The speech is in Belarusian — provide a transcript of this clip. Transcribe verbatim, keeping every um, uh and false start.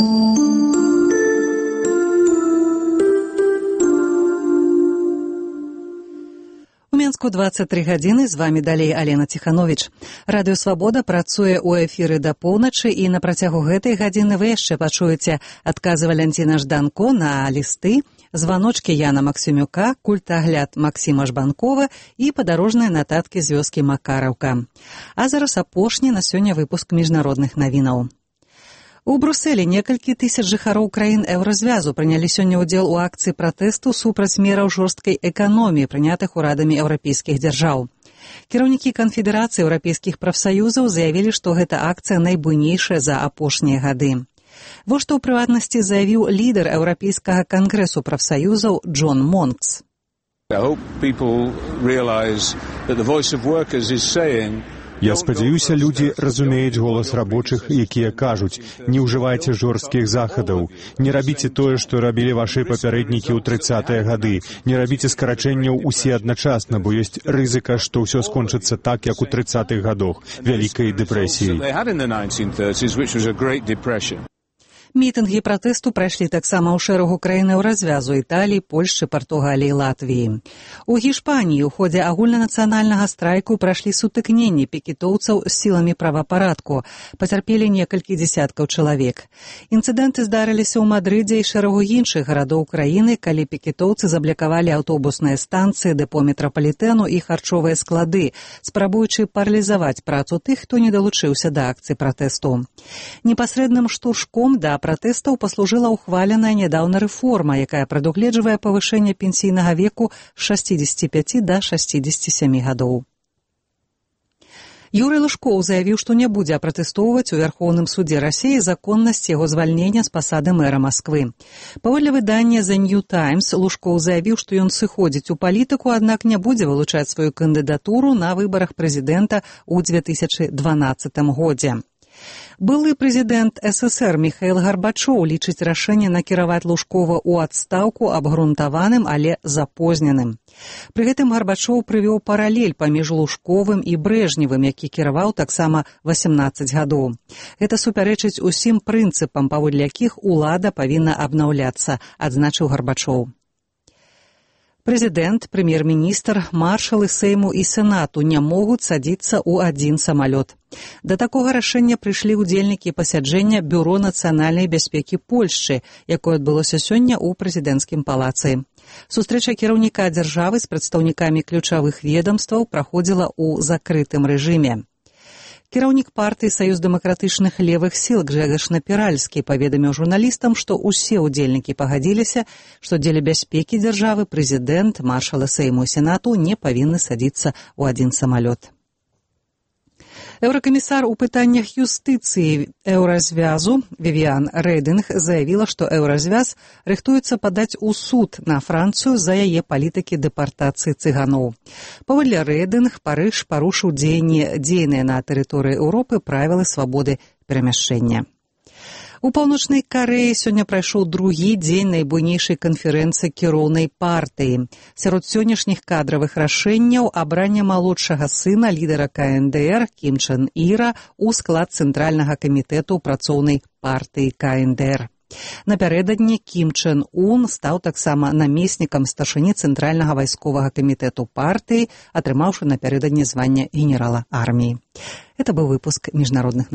У Мінску дваццаць тры гадзіны, з вамі далей Алена Ціхановіч. Радыё Свабода працуе ў эфіры да поўначы, і на працягу гэтай гадзіны вы яшчэ пачуеце адказы Валянціна Жданко на лісты, званочкі Яна Максімюка, культагляд Максіма Жбанкова і падарожныя нататкі з вёскі Макараўка. А зараз апошні на сёння выпуск міжнародных навінаў. У Брусэлі некалькі тысяч жыхароў краін еўразвязу прынялі сёння ўдзел у акцыі пратэсту супраць мераў жорсткай эканоміі, прынятых урадамі еўрапейскіх дзяржаў. Кіраўнікі канфедэрацыі еўрапейскіх прафсаюзаў заявілі, што гэта акцыя найбуйнейшая за апошнія гады. Вось што ў прыватнасці заявіў лідар еўрапейскага кангрэсу прафсаюзаў Джон Монкс. Я спадзяюся, людзі разумеюць голас рабочых, якія кажуць: не ўжывайце жорсткіх захадаў, не рабіце тое, што рабілі вашы папярэднікі ў трыццатыя гады, не рабіце скарачэнняў усе адначасна, бо ёсць рызыка, што ўсё скончыцца так, як у трыццатых гадах, вялікай дэпрэсіяй. Мітынгі пратэсту прайшлі таксама ў шэрагу краін еўразвязу: Італіі, Польшчы, Партугаліі, Латвіі. У Гішпаніі ў ходзе агульнанацыянальнага страйку прайшлі сутыкненні пікетоўцаў з сіламі правапарадку. Пацярпелі некалькі дзесяткаў чалавек. Інцыдэнты здарыліся ў Мадрыдзе і шэрагу іншых гарадоў краіны, калі пікетоўцы заблакавалі аўтобусныя станцыі, дэпо метрапалітэну і харчовыя склады, спрабуючы паралізаваць працу тых, хто не далучыўся да акцыі пратэсту. Непасрэдным штуршком да пратэстаў паслужыла ухваленая нядаўна рэформа, якая прадугледжвае павышэнне пенсійнага веку з шасцідзесяці пяці да шасцідзесяці сямі гадоў. Юрый Лужкоў заявіў, што не будзе апратэстоўваць у Вярхоўным судзе Расіі законнасць яго звальнення з пасады мэра Масквы. Паводле выдання «The New Times» Лужкоў заявіў, што ён сыходзіць у палітыку, аднак не будзе вылучаць сваю кандыдатуру на выбарах прэзідэнта ў дзве тысячы дванаццатым годзе. Былы прэзідэнт эс эсэр Міхаіл Гарбачоў лічыць рашэнне накіраваць Лужкова ў адстаўку абгрунтаваным, але запозненым. Пры гэтым Гарбачоў прывёў паралель паміж Лужковым і Брэжневым, які кіраваў таксама васемнаццаць гадоў. Гэта супярэчыць усім прынцыпам, паводле якіх улада павінна абнаўляцца, адзначыў Гарбачоў. Прэзідэнт, прэм'ер-міністр, маршалы Сейму і Сенату не могуць садзіцца ў адзін самалёт. Да такога рашэння прыйшлі ўдзельнікі пасяджэння Бюро нацыянальнай бяспекі Польшчы, якое адбылося сёння ў прэзідэнцкім палацы. Сустрэча кіраўніка дзяржавы з прадстаўнікамі ключавых ведамстваў праходзіла ў закрытым рэжыме. Кіраўнік партыі Саюз дэмакратычных левых сіл Гжэгаш Напіральскі паведаміў журналістам, што ўсе ўдзельнікі пагадзіліся, што дзеля бяспекі дзяржавы прэзідэнт, маршалы Сейму і Сенату не павінны садзіцца ў адзін самалёт. Еўракамісар у пытаннях юстыцыі еўразвязу Вівіан Рэдынг заявіла, што еўразвяз рыхтуецца падаць у суд на Францыю за яе палітыкі дэпартацыі цыганоў. Паводле Рэдынг, Парыж парушыў дзеянні дзейныя на тэрыторыі Еўропы правілы свабоды перамяшчэння. У Паўночнай Карэі сёння прайшоў другі дзень найбуйнейшай канферэнцыі кіроўнай партыі. Сярод сённяшніх кадравых рашэнняў абранне малодшага сына лідара ка эн дэ эр Кім Чен Іра ў склад цэнтральнага камітэту працоўнай партыі ка эн дэ эр. Напярэдадні Кім Чен Ун стаў таксама намеснікам старшыні цэнтральнага вайсковага камітэту партыі, атрымаўшы напярэдадні звання генерала арміі. Это быў выпуск міжнародных